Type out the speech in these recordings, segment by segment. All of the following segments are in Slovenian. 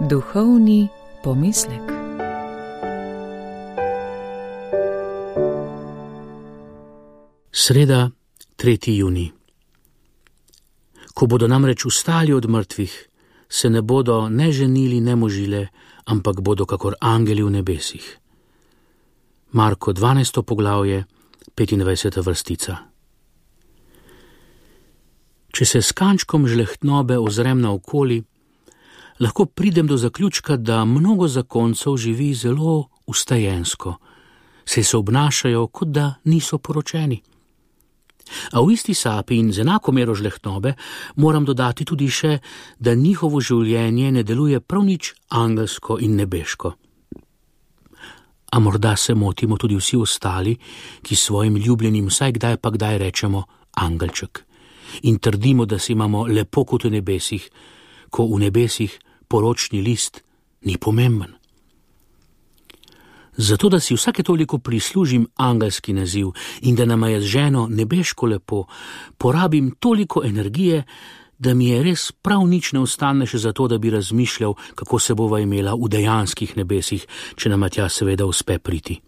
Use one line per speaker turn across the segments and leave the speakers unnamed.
Duhovni pomislek.
Sreda, 3. junij. Ko bodo namreč vstali od mrtvih, se ne bodo ne ženili, ne možile, ampak bodo kakor angeli v nebesih. Marko 12. poglavje, 25. vrstica. Če se s kančkom žlehtnobe ozrem naokoli, lahko pridem do zaključka, da mnogo zakoncev živi zelo ustajensko, saj se obnašajo, kot da niso poročeni. A v isti sapi in z enako mero žlehtnobe moram dodati tudi še, da njihovo življenje ne deluje prav nič angelsko in nebeško. A morda se motimo tudi vsi ostali, ki svojim ljubljenim vsaj kdaj pa kdaj rečemo angelček in trdimo, da se imamo lepo kot v nebesih, ko v nebesih poročni list ni pomemben. Zato, da si vsake toliko prislužim angelski naziv in da nama je z ženo nebeško lepo, porabim toliko energije, da mi je res prav nič ne ostane še za to, da bi razmišljal, kako se bova imela v dejanskih nebesih, če nama tja seveda uspe priti.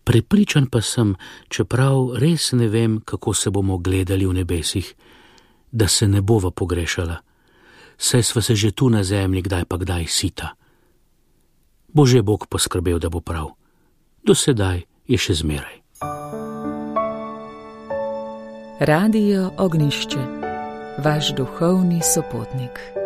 Prepričan pa sem, čeprav res ne vem, kako se bomo gledali v nebesih, da se ne bova pogrešala, saj sva se že tu na zemlji kdaj pa kdaj sita. Bo že Bog poskrbel, da bo prav. Do sedaj je še zmeraj.
Radio Ognjišče, vaš duhovni sopotnik.